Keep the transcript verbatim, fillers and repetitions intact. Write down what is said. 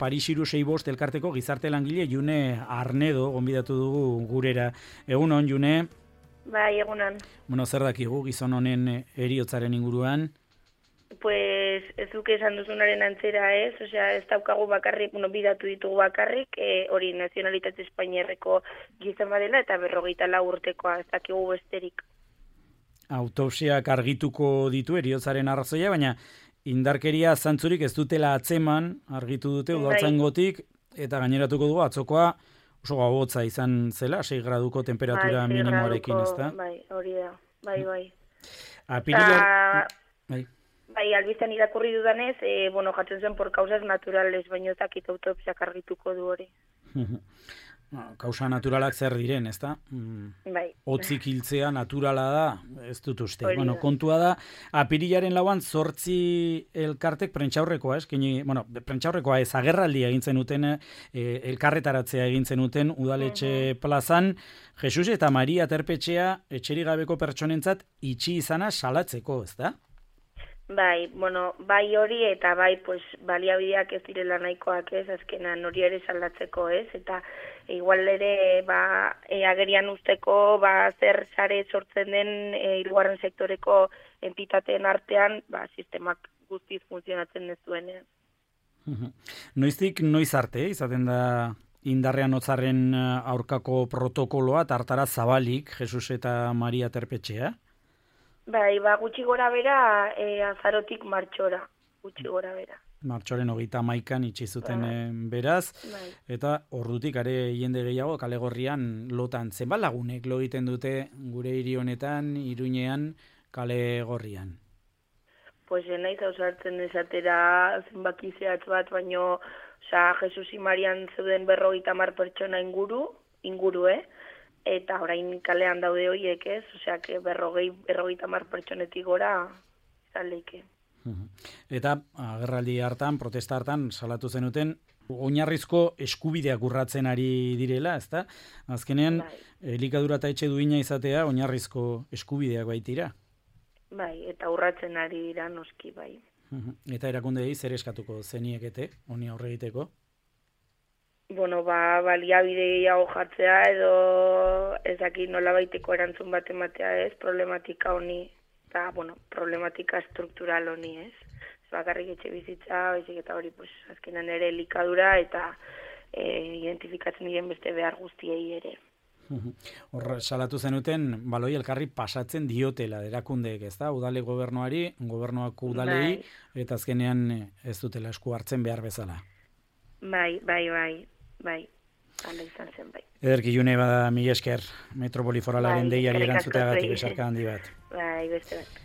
Paris hiru sei bost elkarteko gizarte langile June Arnedo gonbidatu dugu gurera. Egunon, June? Bai, egunon. Bueno, zer dakigu gizon honen heriotzaren inguruan? Pues ez duke esan duzunaren antzera ez, osea ez daukagu bakarrik, bueno, bidatu ditugu bakarrik, e, hori nazionalitate espainiarreko gizon badela eta berrogeita lau urtekoa, ez dakigu besterik. Autopsiak argituko ditu heriotzaren arrazoia, baina indarkeria zantzurik ez dutela atzeman, argitu dute udaltzaingotik, eta gaineratuko dugu atzokoa oso gogotza izan zela, sei graduko temperatura bai, minimoarekin, ezta? Bai, hori da, bai, bai. Apirila... Bai. Bai, albizten irakurri dudanez, e, bueno, jatzen zen por causas naturales, baino zakit autopsiak argituko du hori. Kausa naturalak zer diren, ezta? Bai. Otzik hiltzea naturala da, ez dut uste. Bueno, kontua da, apirilaren lauan zortzi elkartek prentxaurrekoa, ez? Kini, bueno, prentxaurrekoa ez, agerraldia egintzen uten, e, elkarretaratzea egintzen uten udaletxe uh-huh. plazan, Jesus eta Maria Terpetxea etxerik gabeko pertsonentzat itxi izana salatzeko, ezta? Bai, bueno, bai hori eta bai pues, baliabideak ez direla nahikoak ez, azkenan hori ere saldatzeko ez, eta igual ere ba, e, agerian usteko ba, zer sare sortzen den e, hirugarren sektoreko entitateen artean ba, sistemak guztiz funtzionatzen ez duenean. Noiztik noiz arte, izaten da indarrean hotzaren aurkako protokoloa, tartara zabalik, Jesus eta Maria Terpetxea? Bai, ba, gutxi gora bera, e, azarotik martxora, gutxi gora bera. Martxoren hogeita hamaikan itxi zuten bai. beraz, bai. Eta ordutik are jende gehiago Kalegorrian lotan. Zenbat lagunek lo egiten dute gure hiri honetan, Iruñean, Kalegorrian? Pues naiz ausartzen esatera zenbaki zehatz bat, baino, osea, Jesus y Marian zeuden berrogeita hamar pertsona inguru, inguru, eh? Eta orain kalean daude horiek ez, osea, que berrogei, berrogeita hamar pertsonetik gora izan leike. Eta agerraldi hartan, protesta hartan, salatu zenuten, oinarrizko eskubideak urratzen ari direla, ezta? Azkenean, bai. Elikadura eta etxe duina izatea, oinarrizko eskubideak baitira. Bai, eta urratzen ari dira noski, bai. Eta erakundei zer eskatuko zeniekete, honi aurre egiteko? Bueno, ba, baliabide gehiago jartzea edo ezaki nola baiteko erantzun bat ematea ez, problematika honi, eta, bueno, problematika struktural honi ez. Ez bakarrik etxe bizitza, baizik eta hori, pues, azkenan ere elikadura eta e, identifikatzen diren beste behar guztiei ere. Hor, salatu zenuten, baloi elkarri pasatzen diotela erakundeek, ez da? Udale gobernuari, gobernuak udalei, bai. Eta azkenean ez dutela esku hartzen behar bezala. Bai, bai, bai. Bai, hala izan zen bai. Ederki June bada mila esker Metropoli Foralaren bai, deiari erantzuteagatik besarka handi bat. Bai, beste bat.